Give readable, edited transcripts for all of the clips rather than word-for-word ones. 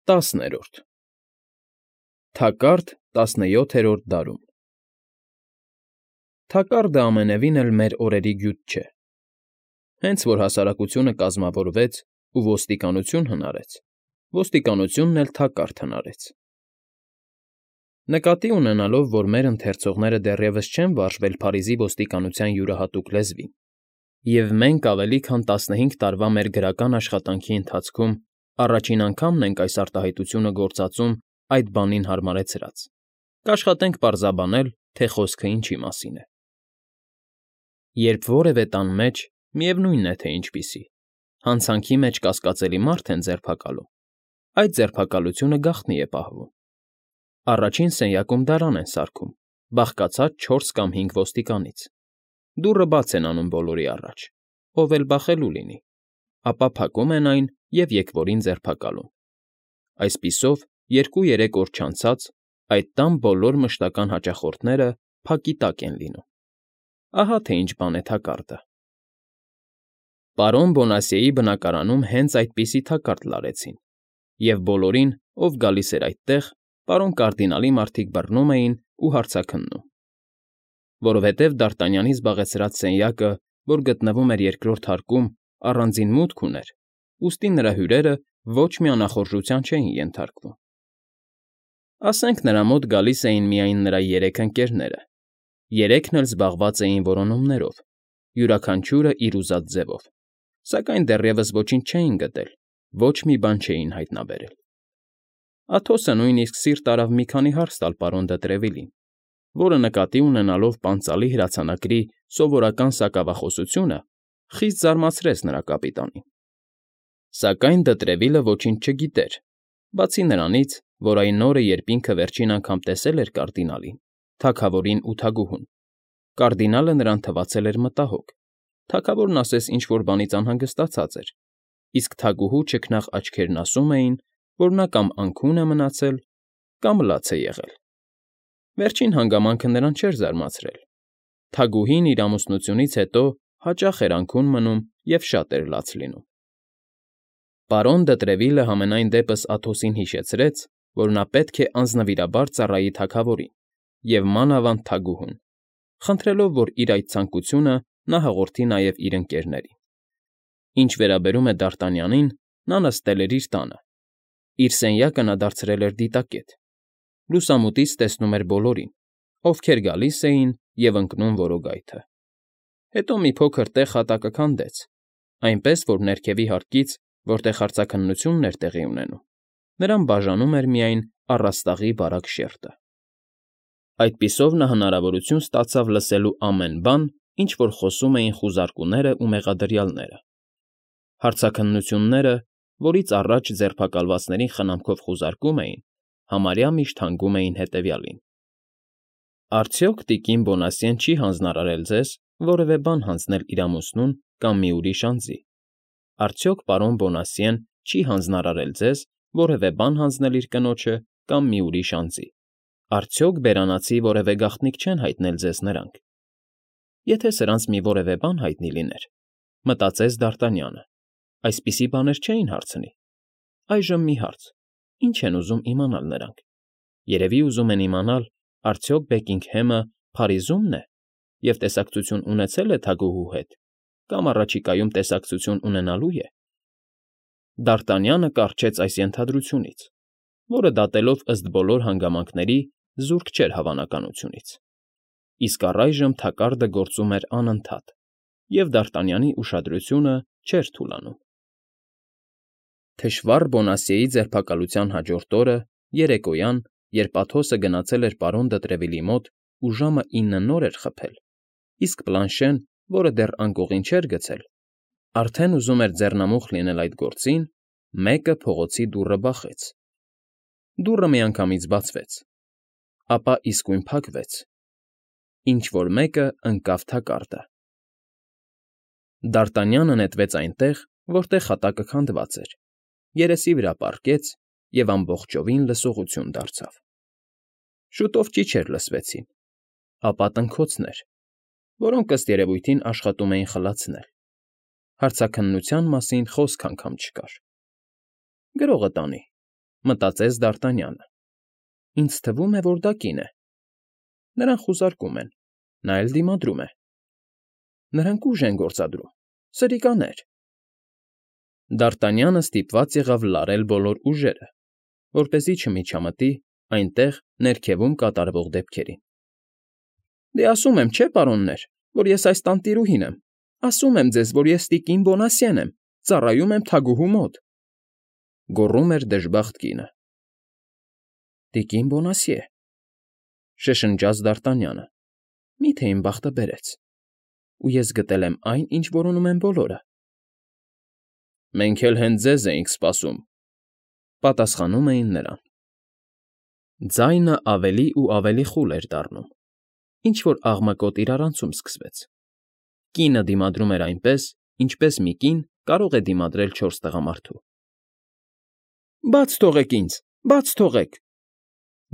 10-րդ Թակարդ 17-րդ դարում Թակարդը ամենևին էլ մեր օրերի գյուտ չէ։ Հենց որ հասարակությունը կազմավորվեց ու ոստիկանություն հնարեց, ոստիկանությունն էլ թակարդ հնարեց։ Նկատի ունենալով, որ մեր ընթերցողները դեռևս չեն վարժվել Փարիզի ոստիկանության յուրահատուկ լեզվին, և մենք ավելի քան 15 տարվա մեր գրական աշխատանքի ընթացքում առաջին անգամն ենք այս արտահայտությունը գործածում այդ բանին հարմարեցրած, կաշխատենք պարզաբանել, թե խոսքը ինչի մասին է։ Երբ որևէ տան մեջ, միևնույն է, թե ինչպիսի, հանցանքի մեջ կասկածելի մարդ են ձերբակալում, այդ ձերբակալությունը գաղտնի է պահվում։ Առաջին սենյակում դարան են սարքում, բաղկացած 4 կամ 5 ոստիկանից։ Դուռը բաց են անում բոլորի առաջ, ով էլ բախելու լինի, ապա փակում են այն և եկվորին ձերբակալում։ Այսպիսով, 2-3 օր չանցած, այդ տան բոլոր մշտական հաճախորդները փակի տակ են լինում։ Ահա թե ինչ բան է թակարդը։ Պարոն Բոնասիեի բնակարանում հենց այդպիսի թակարդ լարեցին, և բոլորին, ով գալիս էր այդտեղ, պարոն կարդինալի մարդիկ բռնում էին ու հարցաքննում։ Որովհետև Դարտանյանի զբաղեցրած սենյակը, որ գտնվում էր երկրորդ հարկում, առանձին մուտք ուներ, ուստի նրա հյուրերը ոչ մի անախորժության չէին ենթարկվում։ Ասենք նրա մոտ գալիս էին միայն նրա 3 ընկերները, 3-ն էլ զբաղված էին որոնումներով, յուրաքանչյուրը իր ուզած ձևով, սակայն դեռևս ոչինչ չէին գտել, ոչ մի բան չէին հայտնաբերել։ Աթոսը նույնիսկ սիրտ արավ մի քանի հարց տալ պարոն դը Տրևիլին, որը նկատի ունենալով պանծալի հրացանակրի սովորական սակավախոսությունը, խիստ զարմացրեց նրա կապիտանին։ Սակայն դը Տրևիլը ոչինչ չգիտեր, բացի նրանից, որ այն օրը, երբ ինքը վերջին անգամ տեսել էր կարդինալին, թագավորին ու թագուհուն, կարդինալը նրան թվացել էր մտահոգ, թագավորն ասես ինչ֊որ բանից անհանգստացած էր, իսկ թագուհու չքնաղ աչքերն ասում էին, որ նա կամ անքուն է մնացել, կամ լաց է եղել։ Վերջին հանգամանքը նրան չէր զարմացրել։ Թագուհին իր ամուսնությունից հետո հաճախ էր անքուն մնում և շատ էր լաց լինում։ Պարոն դը Տրևիլը համենայն դեպս Աթոսին հիշեցրեց, որ նա պետք է անձնվիրաբար ծառայի թագավորին և մանավանդ թագուհուն, խնդրելով, որ իր այդ ցանկությունը նա հաղորդի նաև իր ընկերներին։ Ինչ վերաբերում է Դարտանյանին, նա նստել էր իր տանը։ Իր սենյակը նա դարձրել էր դիտակետ։ Լուսամուտից տեսնում էր բոլորին, ովքեր գալիս էին և ընկնում որոգայթը։ Հետո մի փոքր տեղ հատակը քանդեց, այնպես որ ներքևի հարկից, որտեղ հարցաքննությունն էր տեղի ունենում, նրան բաժանում էր միայն առաստաղի բարակ շերտը։ Այդպիսով նա հնարավորություն ստացավ լսելու ամեն բան, ինչ որ խոսում էին խուզարկուները ու մեղադրյալները։ Հարցաքննությունները, որից առաջ ձերբակալվածներին խնամքով խուզարկում էին, համարյա միշտ հանգում էին հետևյալին. Արդյոք տիկին Բոնասիեն չի հանձնարարել ձեզ որևէ բան հանձնել իր ամուսնուն կամ մի ուրիշ անձի։ Արդյոք պարոն Բոնասիեն չի հանձնարարել ձեզ որևէ բան հանձնել իր կնոջը կամ մի ուրիշ անձի։ Արդյոք բերանացի որևէ գաղտնիք չեն հայտնել ձեզ նրանք։ Եթե սրանց մի որևէ բան հայտնի լիներ, մտածեց Դարտանյանը, այսպիսի բաներ չէին հարցնի։ Այժմ մի հարց. ինչ են ուզում իմանալ նրանք։ Երևի ուզում են իմանալ, արդյոք Բեկինգհեմը Փարիզումն է և տեսակցություն ունեցել է թագուհու հետ, կամ առաջիկայում տեսակցություն ունենալու է։ Դարտանյանը կառչեց այս ենթադրությունից, որը դատելով ըստ բոլոր հանգամանքների զուրկ չէր հավանականությունից։ Իսկ առայժմ թակարդը գործում էր անընդհատ, և Դարտանյանի ուշադրությունը չէր թուլանում։ Թշվառ Բոնասիեի ձերբակալության հաջորդ օրը, երեկոյան, երբ Աթոսը գնացել էր պարոն դը Տրևիլի մոտ ու ժամը 9 նոր էր խփել, իսկ Պլանշեն, որը դեռ անկողին չէր գցել, արդեն ուզում էր ձեռնամուխ լինել այդ գործին, մեկը փողոցի դուռը բախեց։ Դուռը միանգամից բացվեց, ապա իսկույն փակվեց։ Ինչ֊որ մեկը ընկավ թակարդը։ Դարտանյանը նետվեց այնտեղ, որտեղ հատակը քանդված էր, երեսի վրա պառկեց և ամբողջովին լսողություն դարձավ։ Շուտով ճիչեր լսվեցին, ապա տնքոցներ, որոնք ըստ երևույթին աշխատում էին խլացնել։ Հարցաքննության մասին խոսք անգամ չկար։ Գրողը տանի, մտածեց Դ'Արտանյանը։ Ինձ թվում է, որ դա կին է։ Նրան խուզարկում են, նա էլ դիմադրում է։ Նրանք ուժ են գործադրում, սրիկաներ։ Դ'Արտանյանը ստիպված եղավ լարել բոլոր ուժերը, որպեսզի չմիջամտի այնտեղ ներքևում կատարվող դեպքերին։ Դե ասում եմ, չէ, պարոններ, որ ես այս տանտիրուհին եմ, ասում եմ ձեզ, որ ես տիկին Բոնասիեն եմ, ծառայում եմ թագուհու մոտ,֊ գոռում էր դժբախտ կինը։ Տիկին Բոնասիե,֊ շշնջաց Դ'Արտանյանը,֊ մի՞թե իմ բախտը բերեց, ու ես գտել եմ այն, ինչ որոնում են բոլորը։ Մենք էլ հենց ձեզ էինք սպասում,֊ պատասխանում էին նրան։ Ձայնը ավելի ու ավելի խուլ էր դառնում, ինչ֊որ աղմկոտ իրարանցում սկսվեց։ Կինը դիմադրում էր այնպես, ինչպես մի կին կարող է դիմադրել 4 տղամարդու։ Բաց թողեք ինձ, բաց թողեք,֊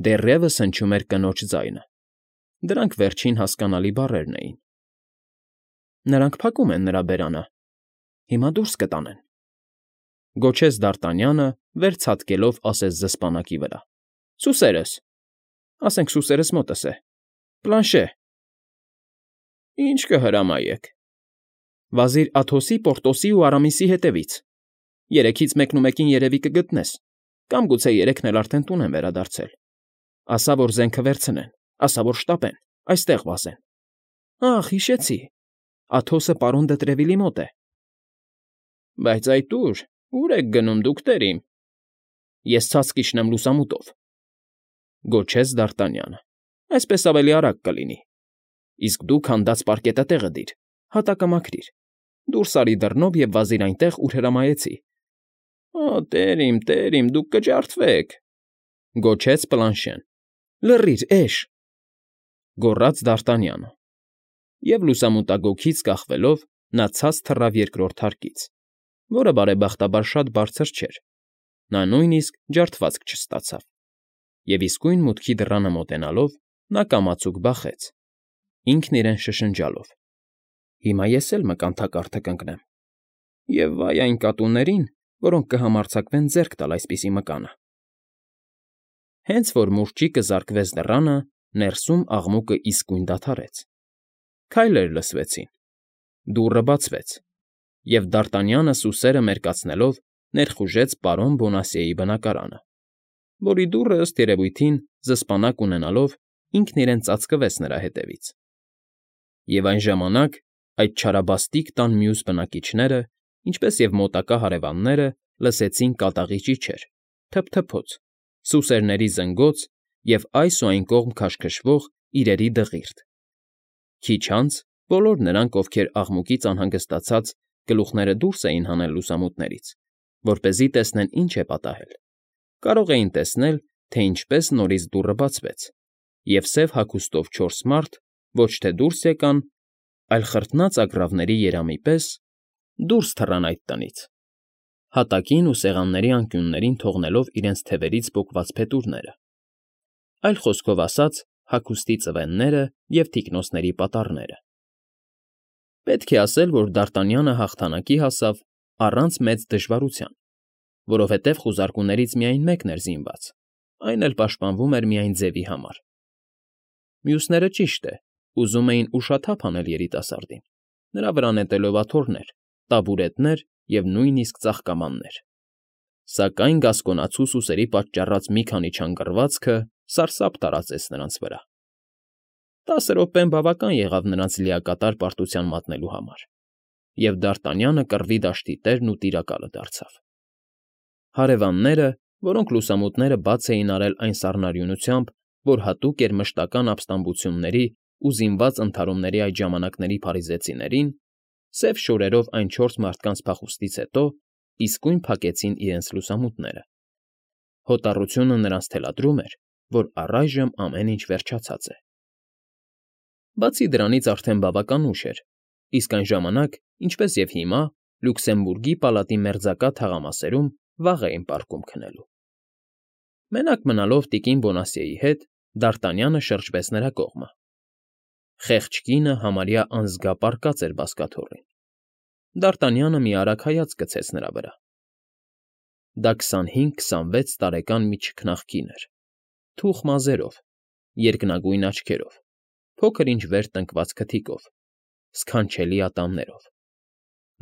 դեռևս հնչում էր կնոջ ձայնը։ Դրանք վերջին հասկանալի բառերն էին։ Նրանք փակում են նրա բերանը, հիմա դուրս կտանեն,֊ գոչեց Դ'Արտանյանը, վեր ցատկելով ասես զսպանակի վրա։ Սուսերս, ասենք սուսերս մոտս է, Պլանշե։ Ինչ կհրամայեք։ Վազիր Աթոսի, Պորտոսի ու Արամիսի հետևից։ Երեքից մեկնումեկին երևի կգտնես, կամ գուցե երեքն էլ արդեն տուն են վերադարձել։ Ասա, որ զենքը վերցնեն, ասա, որ շտապեն, այստեղ վազեն։ Ախ, հիշեցի, Աթոսը պարոն դը Տրևիլի մոտ է։ Բայց այդ ուր եք գնում դուք, տերիմ։ Ես ցած կիջնեմ լուսամուտով,֊ գոչեց Դ'Արտանյանը։ Այսպես ավելի արագ կլինի։ Իսկ դու քանդած պարկետը տեղը դիր, հատակը մաքրիր, դուրս արի դռնով և վազիր այնտեղ, ուր հրամայեցի։ Տերիմ, դուք կջարդվեք,֊ գոչեց Պլանշեն։ Լռիր, էշ,֊ գոռաց Դ'Արտանյանը։ Եվ լուսամուտագոգից կախվելով նա ցած թռավ երկրորդ հարկից, որը բարեբախտաբար շատ բարձր չէր։ Նա նույնիսկ ջարդվածք չստացավ։ Եվ իսկույն մուտքի դռանը մոտենալով նա կամացուկ բախեց, ինքն իրեն շշնջալով. Հիմա ես էլ մկանթակարդը կընկնեմ։ Եվ վայ այն կատուներին, որոնք կհամարձակվեն ձեռք տալ այսպիսի մկանը։ Հենց որ մուրճիկը զարկվեց դռանը, ներսում աղմուկը իսկույն դադարեց։ Քայլեր լսվեցին։ Դուռը բացվեց, և Դ'Արտանյանը սուսերը մերկացնելով ներխուժեց պարոն Բոնասիեի բնակարանը, որի դուռը, ըստ երևույթին, զսպանակ ունենալով, ինքն իրեն ծածկվեց նրա հետևից։ Եվ այն ժամանակ այդ չարաբաստիկ տան մյուս բնակիչները, ինչպես և մոտակա հարևանները, լսեցին կատաղի ճիչեր, թփթփոց, սուսերների զնգոց և այս ու այն կողմ քաշքշվող իրերի դղիրդ։ Քիչ անց բոլոր նրանք, ովքեր աղմուկից անհանգստացած գլուխները դուրս էին հանել լուսամուտներից, որպեսզի տեսնեն ինչ է պատահել, կարող էին տեսնել, թե ինչպես նորից դուռը բացվեց, և սև հագուստով 4 մարդ ոչ թե դուրս եկան, այլ խրտնած ագռավների երամի պես դուրս թռան այդ տնից, հատակին ու սեղանների անկյուններին թողնելով իրենց թևերից պոկված փետուրները, այլ խոսքով ասած, հագուստի ծվենները և թիկնոնցների պատառները։ Պետք է ասել, որ Դ'Արտանյանը հաղթանակի հասավ առանց մեծ դժվարության, որովհետև խուզարկուներից միայն մեկն էր զինված, այն էլ պաշտպանվում էր միայն ձևի համար։ Մյուսները, ճիշտ է, ուզում էին ուշաթափ անել երիտասարդին, նրա վրա նետելով աթոռներ, տաբուրետներ և նույնիսկ ծաղկամաններ։ Սակայն գասկոնացու սուսերի պատճառած մի քանի չանգռվածքը սարսափ տարածեց նրանց վրա։ 10 րոպեն բավական եղավ նրանց լիակատար պարտության մատնելու համար, և Դ'Արտանյանը կռվի դաշտի տերն ու տիրակալը դարձավ։ Հարևանները, որոնք լուսամուտները բաց էին արել այն սառնարյունությամբ, որ հատուկ էր մշտական ապստամբությունների ու զինված ընդհարումների այդ ժամանակների փարիզեցիներին, սև շորերով այն 4 մարդկանց փախուստից հետո իսկույն փակեցին իրենց լուսամուտները։ Հոտառությունը նրանց թելադրում էր, որ առայժմ ամեն ինչ վերջացած է։ Բացի դրանից արդեն բավական ուշ էր, իսկ այն ժամանակ, ինչպես և հիմա, Լյուքսեմբուրգի պալատի մերձակա թաղամասերում վաղ էին պառկում քնելու։ Մենակ մնալով տիկին Բոնասիեի հետ, Դ'Արտանյանը շրջվեց նրա կողմը։ Խեղճ կինը համարյա անզգա պառկած էր բազկաթոռին։ Դ'Արտանյանը մի արագ հայացք գցեց նրա վրա։ Դա 25-26 տարեկան մի չքնաղ կին էր, թուխ մազերով, երկնագույն աչքերով, փոքր-ինչ վեր տնկված քթիկով, սքանչելի ատամներով.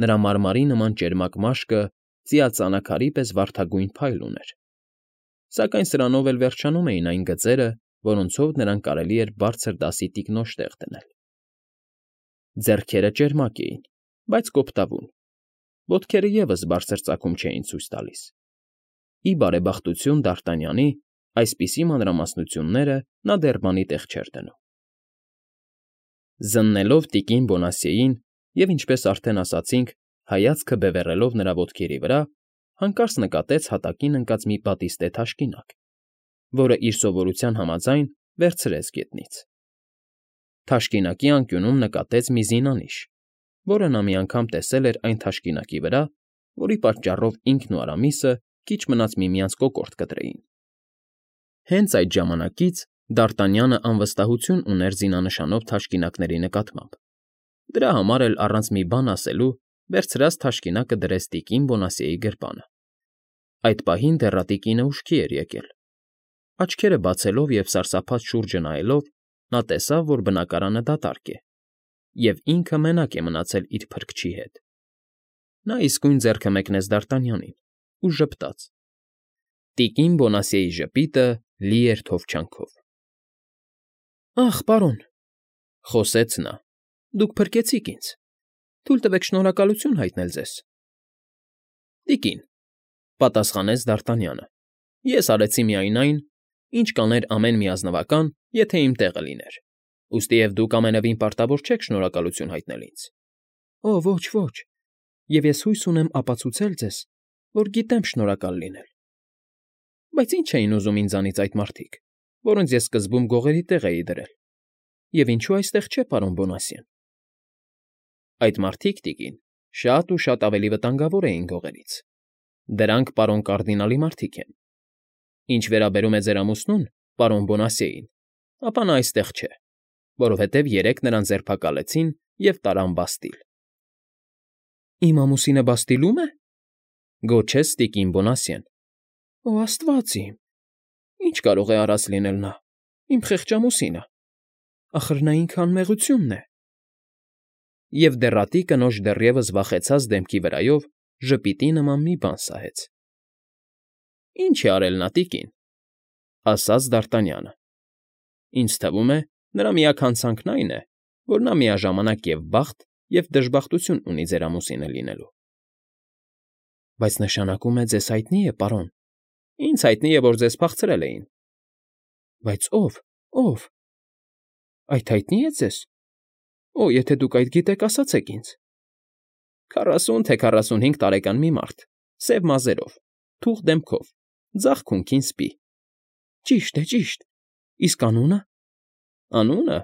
նրա մարմարի նման ճերմակ մաշկը ծիածանաքարի պես վարդագույն փայլ ուներ, սակայն սրանով էլ վերջանում էին այն գծերը, որոնցով նրան կարելի էր բարձր դասի տիկնոջ տեղ դնել. ձեռքերը ճերմակ էին, բայց կոպտավուն, ոտքերը ևս բարձր ծագում չէին ցույց տալիս. ի բարեբախտություն Դարտանյանի այսպիսի մանրամասնությունները նա դեռ բանի տեղ չէր դնում. Զննելով տիկին Բոնասիեին և, ինչպես արդեն ասացինք, հայացքը բևեռելով նրա ոտքերի վրա, հանկարծ նկատեց հատակին ընկած մի պատիստե թաշկինակ, որը իր սովորության համաձայն վերցրեց գետնից. թաշկինակի անկյունում նկատեց մի զինանիշ, որը նա մի անգամ տեսել էր այն թաշկինակի վրա, որի պատճառով ինքն ու Արամիսը քիչ մնաց միմյանց կոկորդ կտրեին. հենց այդ ժամանակից Դարտանյանը անվստահություն ուներ զինանշանով թաշկինակների նկատմամբ, դրա համար էլ առանց մի բան ասելու վերցրած թաշկինակը դրեց տիկին Բոնասիեի գրպանը. այդ պահին դեռատիկինը ուշքի էր եկել, աչքերը բացելով և սարսափած շուրջը նայելով, նա տեսավ, որ բնակարանը դատարկ է, և ինքը մենակ է մնացել իր փրկչի հետ. նա իսկույն ձեռքը մեկնեց Դարտանյանին ու ժպտաց. տիկին Բոնասիեի ժպիտը լի էր թովչանքով։ «Ախ, պարոն,֊ խոսեց նա,֊ դուք փրկեցիք ինձ, թույլ տվեք շնորհակալություն հայտնել ձեզ»։ «Տիկին,֊ պատասխանեց Դարտանյանը,֊ ես արեցի միայն այն, ինչ կաներ ամեն մի ազնվական, եթե իմ տեղը լիներ, ուստիև դուք ամենևին պարտավոր չեք շնորհակալություն հայտնել ինձ»։ «Օ, ոչ, ոչ, և ես հույս ունեմ ապացուցել ձեզ, որ գիտեմ շնորհակալ լինել։ Բայց ի՞նչ էին ուզում ինձանից այդ մարդիկ, որոնց ես սկզբում գողերի տեղ էի դրել, և ինչու այստեղ չէ պարոն Բոնասիեն»։ «Այդ մարդիկ, տիկին, շատ ու շատ ավելի վտանգավոր էին գողերից. դրանք պարոն կարդինալի մարդիկ են։ Ինչ վերաբերում է ձեր ամուսնուն, պարոն Բոնասիեին, ապա նա այստեղ չէ, որովհետև երեկ նրան ձերբակալեցին և տարան բաստիլ»։ «Իմ ամուսինը բաստիլում է,֊ գոչեց տիկին Բոնասիեն։ «Օ, աստված իմ, ի՞նչ կարող է արած լինել նա, իմ խեղճ ամուսինը, ախր նա ինքը անմեղությունն է»։ Եվ դեռատի կնոջ դեռևս վախեցած դեմքի վրայով ժպիտի նման մի բան սահեց։ «Ինչ է արել նա, տիկին,֊ ասաց Դարտանյանը,֊ ինձ թվում է, նրա միակ հանցանքն այն է, որ նա միաժամանակ և բախտ, և դժբախտություն ունի ձեր ամուսինը լինելու»։ «Բայց նշանակում է, ձեզ հայտնի է, պարոն»։ «Ինձ հայտնի է, որ ձեզ փախցրել էին»։ «Բայց ո՞վ, ո՞վ։ Այդ հայտնի է ձեզ։ Օ, եթե դուք այդ գիտեք, ասացեք ինձ»։ 40 թե 45 տարեկան մի մարդ, սև մազերով, թուխ դեմքով, ձախ քունքին սպի։ «Ճիշտ է, ճիշտ, իսկ անունը»։ «Անունը…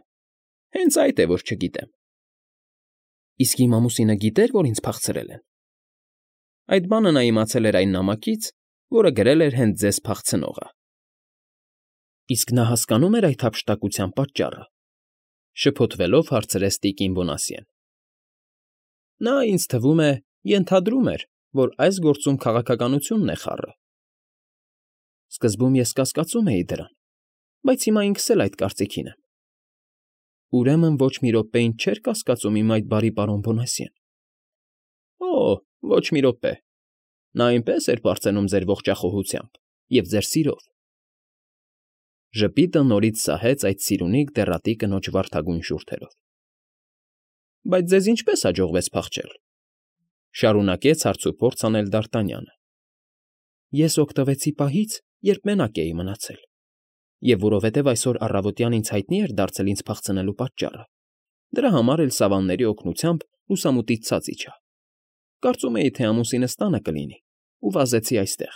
հենց այդ է, որ չգիտեմ»։ «Իսկ իմ ամուսինը գիտեր, որ ինձ փախցրել են»։ Այդ բանը նա իմացել էր այն նամակից, որը գրել էր հենց ձեզ փախցնողը։ «Իսկ նա հասկանո՞ւմ էր այդ հափշտակության պատճառը,֊ շփոթվելով հարցրեց տիկին Բոնասիեն։ «Նա, ինձ թվում է, ենթադրում էր, որ այս գործում քաղաքականությունն է խառը»։ «Սկզբում ես կասկածում էի դրան, բայց հիմա ինքս էլ այդ կարծիքին եմ»։ «Ուրեմն ոչ մի րոպե ինձ չէր կասկածում իմ այդ բարի պարոն Բոնասիեն»։ «Օ, ոչ մի րոպե, նա այնպես էր պարծենում ձեր ողջախոհությամբ և ձեր սիրով»։ Ժպիտը նորից սահեց այդ սիրունիկ դեռատի կնոջ վարդագույն շուրթերով։ «Բայց ձեզ ինչպե՞ս հաջողվեց փախչել,֊ շարունակեց հարցուփորձ անել Դարտանյանը։ «Ես օգտվեցի պահից, երբ մենակ էի մնացել, և որովհետև այսօր առավոտյան ինձ հայտնի էր դարձել ինձ փախցնելու պատճառը, դրա համար էլ սավանների օգնությամբ լուսամուտից ցած իջա։ Կարծում էի, թե ամուսինս տանը կլինի ու վազեցի այստեղ»։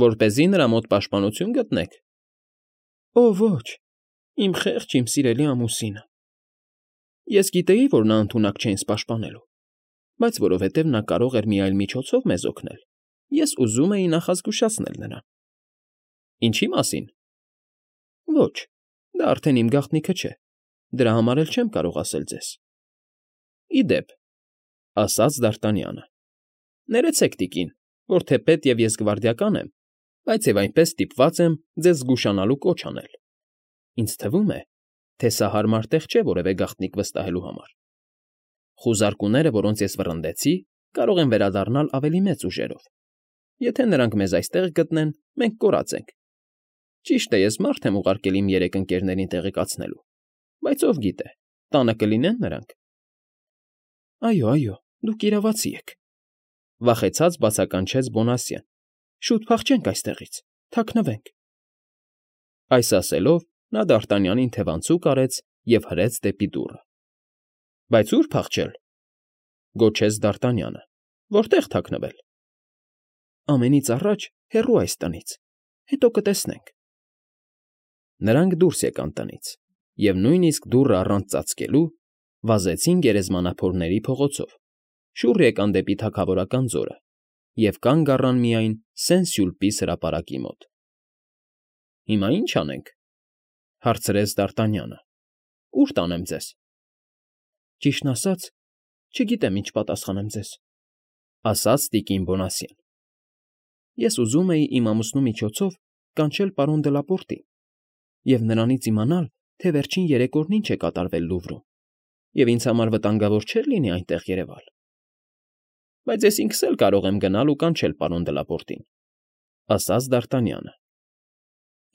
«Որպեսզի նրա մոտ պաշտպանություն գտնեք»։ «Օ, ոչ, իմ խեղճ, իմ սիրելի ամուսինը։ Ես գիտեի, որ նա ընդունակ չէ ինձ պաշտպանելու, բայց որովհետև նա կարող էր մի այլ միջոցով մեզ օգնել, ես ուզում էի նախազգուշացնել նրան»։ «Ինչի՞ մասին»։ «Ոչ, դա արդեն իմ գաղտնիքը չէ, դրա համար էլ չեմ կարող ասել ձեզ»։ «Ի դեպ,֊ ասաց Դարտանյանը,֊ ներեցեք, տիկին, որ թեպետ և ես գվարդիական եմ, բայց և այնպես ստիպված եմ ձեզ զգուշանալու կոչ անել. ինձ թվում է, թե սա հարմար տեղ չէ որևէ գաղտնիք վստահելու համար. խուզարկուները, որոնց ես վռնդեցի, կարող են վերադառնալ ավելի մեծ ուժերով. եթե նրանք մեզ այստեղ գտնեն, մենք կորած ենք. ճիշտ է, ես մարդ եմ ուղարկել իմ 3 ընկերներին տեղեկացնելու, բայց ով գիտե, տանը կլինեն նրանք։ Այո, դուք իրավացի եք, վախեցած բացականչեց Բոնասյեն։ Շուտ փախչենք այստեղից, թաքնվենք։ Այս ասելով նա Դարտանյանին թևանցուկ արեց և հրեց դեպի դուռը։ Բայց ո՞ւր փախչել, գոչեց Դարտանյանը, որտե՞ղ թաքնվել։ Ամենից առաջ հեռու այս տնից, հետո կտեսնենք։ Նրանք դուրս եկան տնից և նույնիսկ դուռը առանց ծածկելու վազեցին գերեզմանափորների փողոցով, շուռ եկան դեպի թագավորական ձորը և կանգ առան միայն Սեն֊Սյուլպի հրապարակի մոտ։ Հիմա ի՞նչ անենք,֊ հարցրեց Դարտանյանը։ Ո՞ւր տանեմ ձեզ։ Ճիշտն ասած, չգիտեմ ինչ պատասխանեմ ձեզ,֊ ասաց տիկին Բոնասյեն։ Ես ուզում էի իմ ամուսնու միջոցով կանչել պարոն Դելապորտին և նրանից իմանալ, թե վերջին 3 օրն ինչ է կատարվել Լուվրում, և ինձ համար վտանգավոր չէր լինի այնտեղ երևալ։ Բայց ես ինքս էլ կարող եմ գնալ ու կանչել պարոն Դելապորտին, ասաց Դարտանյանը։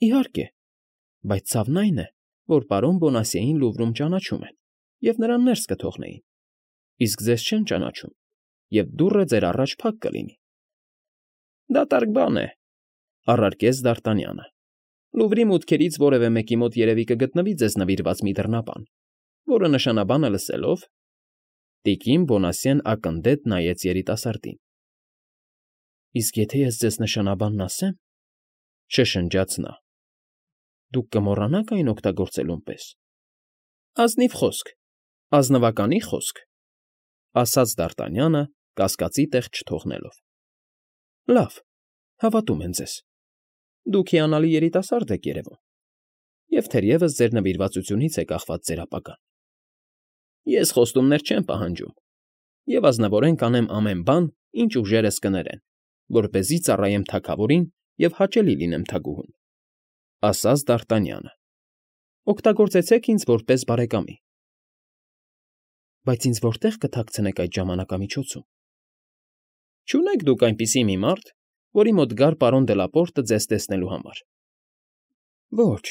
Իհարկե, բայց ցավն այն է, որ պարոն Բոնասիեին Լուվրում ճանաչում են և նրան ներս կթողնեին, իսկ ձեզ չեն ճանաչում, և դուռը ձեր առաջ փակ կլինի։ Դատարկ բան է,֊ առարկեց Դարտանյանը։ Լուվրի մուտքերից որևէ մեկի մոտ երևի կգտնվի ձեզ նվիրված մի դռնաբան, որը նշանաբանը լսելով… Տիկին Բոնասիեն ակնդետ նայեց երիտասարդին։ Իսկ եթե ես ձեզ նշանաբանն ասեմ,֊ շշնջաց նա,֊ դուք կմոռանաք այն օգտագործելուն պես։ Ազնիվ խոսք, ազնվականի խոսք,֊ ասաց Դարտանյանը, կասկածի տեղ չթողնելով։ Լավ, հավատում եմ ձեզ։ Դուք հիանալի երիտասարդ եք երևում, և թերևս ձեր նվիրվածությունից է կախված ձեր ապագան։ Ես խոստումներ չեմ պահանջում և ազնվորեն կանեմ ամեն բան, ինչ ուժերս կներեն, որպեսզի ծառայեմ թագավորին և հաճելի լինեմ թագուհուն,֊ ասաց Դարտանյանը։ Օգտագործեցեք ինձ որպես բարեկամի։ Բայց ինձ որտե՞ղ կթաքցնեք այդ ժամանակամիջոցում։ Չունեք դուք այնպիսի մի մարդ, որի մոտ գար պարոն Դելապորտը ձեզ տեսնելու համար։ Ոչ,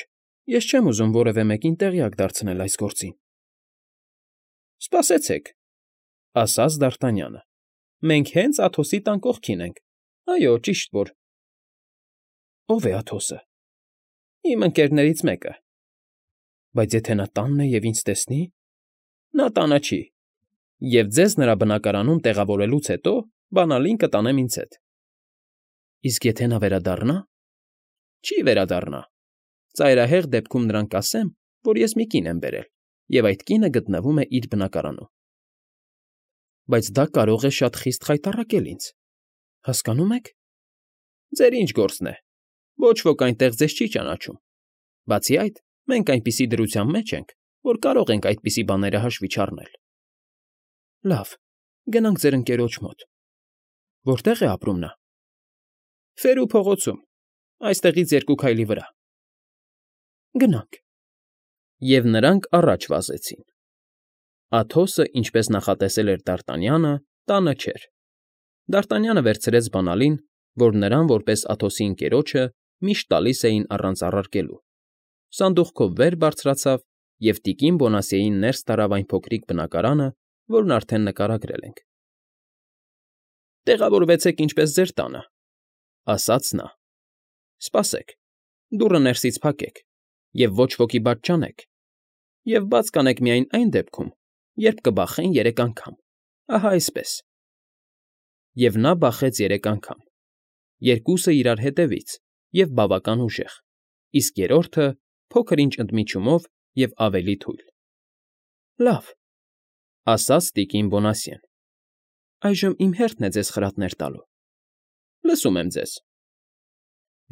ես չեմ ուզում որևէ մեկին տեղյակ դարձնել այս գործին։ Սպասեցեք,֊ ասաց Դարտանյանը։ Մենք հենց Աթոսի տան կողքին ենք։ Այո, ճիշտ որ… Ո՞վ է Աթոսը։ Իմ ընկերներից մեկը։ Բայց եթե նա տանն է և ինձ տեսնի… Նա տանը չի, և ձեզ նրա բնակարանում տեղավորելուց հետո բանալին կտանեմ ինձ հետ։ Իսկ եթե նա վերադառնա… Չի վերադառնա։ Ծայրահեղ դեպքում նրան կասեմ, որ ես մի կին եմ բերել, և այդ կինը գտնվում է իր բնակարանում։ Բայց դա կարող է շատ խիստ խայտառակել ինձ, հասկանո՞ւմ եք։ Ձեր ինչ գործն է, ոչ ոք այնտեղ ձեզ չի ճանաչում։ Բացի այդ, մենք այնպիսի դրության մեջ ենք, որ կարող ենք այդպիսի բաները հաշվի չառնել։ Լավ, գնանք ձեր ընկերոջ մոտ։ Որտե՞ղ է ապրում նա։ Ֆերու փողոցում, այստեղից 2 քայլի վրա։ Գնանք։ Եվ նրանք առաջ վազեցին։ Աթոսը, ինչպես նախատեսել էր Դարտանյանը, տանը չէր։ Դարտանյանը վերցրեց բանալին, որ նրան, որպես Աթոսի ընկերոջը, միշտ տալիս էին առանց առարկելու, սանդուղքով վեր բարձրացավ և տիկին Բոնասիեին ներս տարավ այն փոքրիկ բնակարանը, որն արդեն նկարագրել ենք։ Տեղավորվեցեք ինչպես ձեր տանը,֊ ասաց նա։ Սպասեք, դուռը ներսից փակեք և ոչ ոքի բաց չանեք, և բաց կանեք միայն այն դեպքում, երբ կբախեն 3 անգամ, ահա այսպես։ Եվ նա բախեց 3 անգամ, 2-ը իրար հետևից և բավական ուժեղ, իսկ 3-րդը փոքր ինչ ընդմիջումով և ավելի թույլ։ Լավ,֊ ասաց տիկին Բոնասիեն։ Այժմ իմ հերթն է ձեզ խրատներ տալու։ Լսում եմ ձեզ։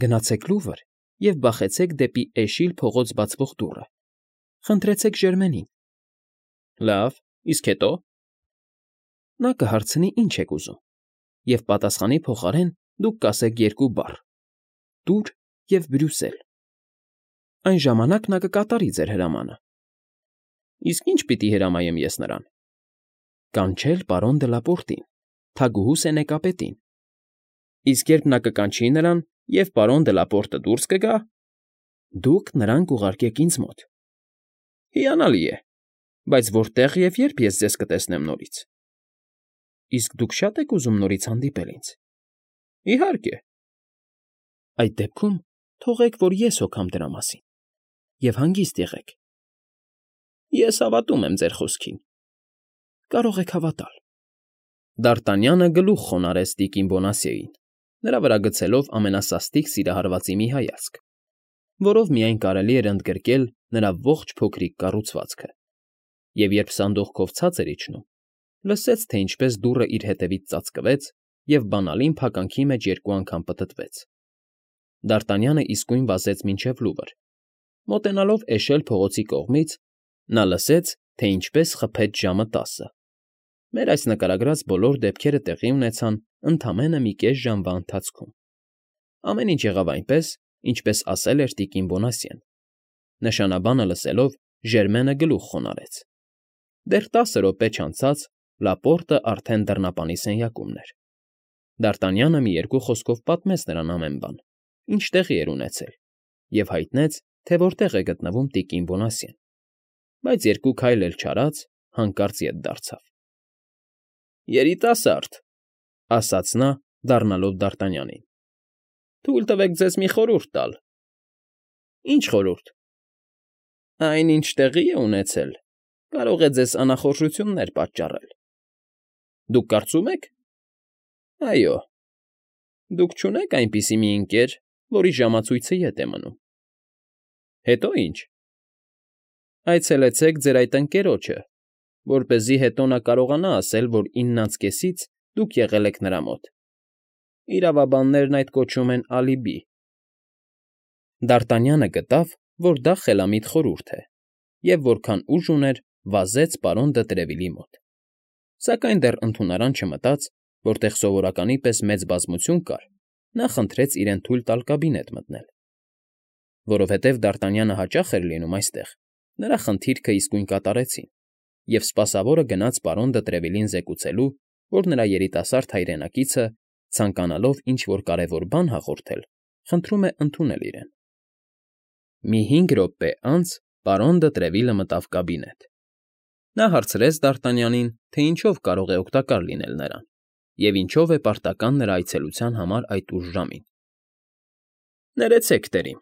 Գնացեք Լուվր և բախեցեք դեպի Էշիլ փողոց բացվող դուռը։ Խնդրեցեք Ժերմենին։ Լավ, իսկ հետո… Նա կհարցնի ինչ եք ուզում, և պատասխանի փոխարեն դուք կասեք երկու բառ. «Տուր» և «Բրյուսել»։ Այն ժամանակ նա կկատարի ձեր հրամանը։ Իսկ ի՞նչ պիտի հրամայեմ ես նրան։ Կանչել պարոն Դլապորտին, թագուհու սենեկապետին։ Իսկ երբ նա կկանչի նրան, և պարոն Դլապորտը դուրս կգա, դուք նրան կուղարկեք ինձ մոտ։ Հիանալի է, բայց որտե՞ղ և երբ ես ձեզ կտեսնեմ նորից։ Իսկ դուք շա՞տ եք ուզում նորից հանդիպել ինձ։ Իհարկե։ Այդ դեպքում թողեք, որ ես հոգամ դրա մասին, և հանգիստ եղեք։ Ես հավատում եմ ձեր խոսքին։ Կարող եք հավատալ։ Դ'Արտանյանը գլուխ խոնարհեց տիկին Բոնասիեին, նրա վրա գցելով ամենասաստիկ սիրահարվածի մի հայացք, որով միայն կարելի էր ընդգրկել նրա ողջ փոքրիկ կառուցվածքը, և երբ սանդուղքով ցած էր իջնում, լսեց, թե ինչպես դուռը իր հետևից ծածկվեց և բանալին փականքի մեջ երկու անգամ պտտվեց։ Դ'Արտանյանը իսկույն վազեց մինչև լուվր։ Մոտենալով էշել փողոցի կողմից, նա լսեց, թե ինչպես խփեց ժամը 10։ Մեր այս նկարագրած բոլոր դեպքերը տեղի ունեցան ընդամենը մի կես ժամվա ընթացքում։ Ամեն ինչ եղավ այնպես, ինչպես ասել էր տիկին Բոնասիեն։ Նշանաբանը լսելով, Ժերմենը գլուխ խոնարհեց։ Դեռ 10 րոպե չանցած Լապորտը արդեն դռնապանի սենյակումն էր։ Դ'Արտանյանը մի երկու խոսքով պատմեց նրան ամեն բան, ինչ տեղի էր ունեցել, և հայտնեց, թե որտեղ է գտնվում տիկին Բոնասիեն, բայց երկու քայլ էլ չարած, հանկարծ ետ դարձավ։ Երիտասարդ, ասաց նա, դառնալով Դ'Արտանյանին, թույլ տվեք ձեզ մի խորհուրդ տալ։ Ինչ խորհուրդ։ Այն, ինչ տեղի է ունեցել, կարող է ձեզ անախորժություններ պատճառել։ Դուք կարծում եք։ Այո։ Դուք չունե՞ք այնպիսի մի ընկեր, որի ժամացույցը ետ է մնում։ Հետո ի՞նչ։ Այցելեցեք ձեր այդ ընկերոջը, որպեսզի հետո նա կարողանա ասել, որ 9:30-ից դուք եղել եք նրա մոտ։ Իրավաբաններն այդ կոչում են ալիբի։ Դ'Արտանյանը գտավ, որ դա խելամիտ խորհուրդ է, և որքան ուժ ուներ, վազեց պարոն դը Տրևիլի մոտ։ Սակայն դեռ ընդունարան չմտած, որտեղ սովորականի պես մեծ բազմություն կար, նա խնդրեց իրեն թույլ տալ կաբինետ մտնել։ Որովհետև Դ'Արտանյանը հաճախ էր լինում այստեղ, նրա խնդիրքը իսկույն կատարեցին, և սպասավորը գնաց պարոն դը Տրևիլին զեկուցելու, որ նրա երիտասարդ հայրենակիցը, ցանկանալով ինչ֊որ կարևոր բան հաղորդել, խնդրում է ընդունել իրեն։ Մի 5 րոպե անց պարոն դը Տրևիլը մտավ կաբինետ։ Նա հարցրեց Դ'Արտանյանին, թե ինչով կարող է օգտակար լինել նրան, և ինչով է պարտական նրա այցելության համար այդ ուշ ժամին։ Ներեցեք, տերիմ,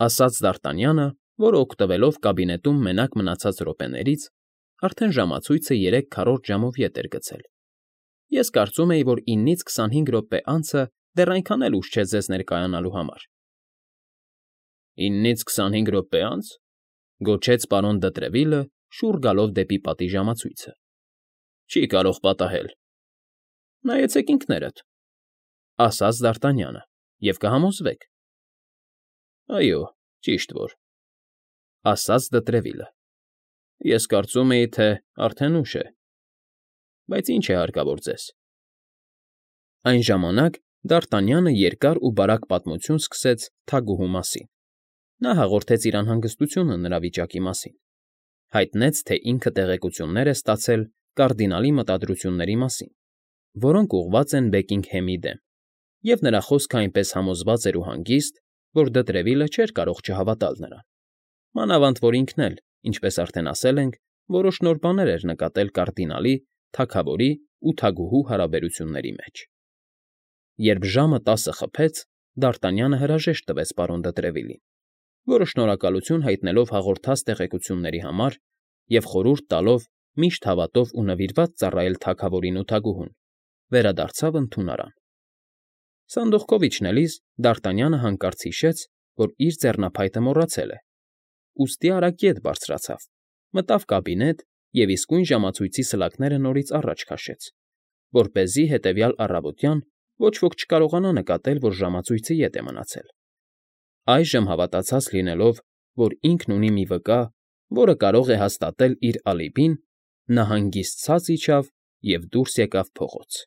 ասաց Դ'Արտանյանը, որը օգտվելով կաբինետում մենակ մնացած րոպեներից, արդեն ժամացույցը 3/4 ժամով ետ էր գցել։ Ես կարծում էի, որ 9-ից 25 րոպե անցը դեռ այնքան էլ ուշ չէ ձեզ ներկայանալու համար։ 9-ից 25 րոպե անց, գոչեց պարոն դը Տրևիլը, շուռ գալով դեպի պատի ժամացույցը։ Չի կարող պատահել։ Նայեցեք ինքներդ, ասաց Դ'Արտանյանը, և կհամոզվեք։ Այո, ճիշտ որ, ասաց դը Տրևիլը։ Ես կարծում էի, թե արդեն ուշ է, բայց ինչ է հարկավոր ձեզ։ Այն ժամանակ Դ'Արտանյանը երկար ու բարակ պատմություն սկսեց թագուհու մասին։ Նա հաղորդեց իր անհանգստությունը նրա վիճակի մասին, հայտնեց, թե ինքը տեղեկություններ է ստացել կարդինալի մտադրությունների մասին, որոնք ուղղված են Բեկինգհեմի դեմ, և նրա խոսքը այնպես համոզված էր ու հանգիստ, որ դը Տրևիլը չէր կարող չհավատալ նրան։ Մանավանդ որ ինքն էլ, ինչպես արդեն ասել ենք, որոշ նոր բաներ էր նկատել կարդինալի, թագավորի ու թագուհու հարաբերությունների մեջ։ Երբ ժամը 10 խփեց, Դ'Արտանյանը հրաժեշտ տվեց պարոն դը Տրևիլին, որը շնորհակալություն հայտնելով հաղորդած տեղեկությունների համար և խորհուրդ տալով միշտ հավատով ու նվիրված ծառայել թագավորին ու թագուհուն, վերադարձավ ընդունարան։ Սանդուղքով իջնելիս Դ'Արտանյանը հանկարծ հիշեց, որ իր ձեռնափայտը մոռացել է, ուստի արագ ետ բարձրացավ, մտավ կաբինետ և իսկույն ժամացույցի սլակները նորից առաջ քաշեց, որպեսզի հետևյալ առավոտյան ոչ ոք չկարողանա նկատել, որ ժամացույցը ետ է մնացել։ Այժմ հավատացած լինելով, որ ինքն ունի մի վկա, որը կարող է հաստատել իր ալիբին, նա հանգիստ ցած իջավ և դուրս եկավ փողոց։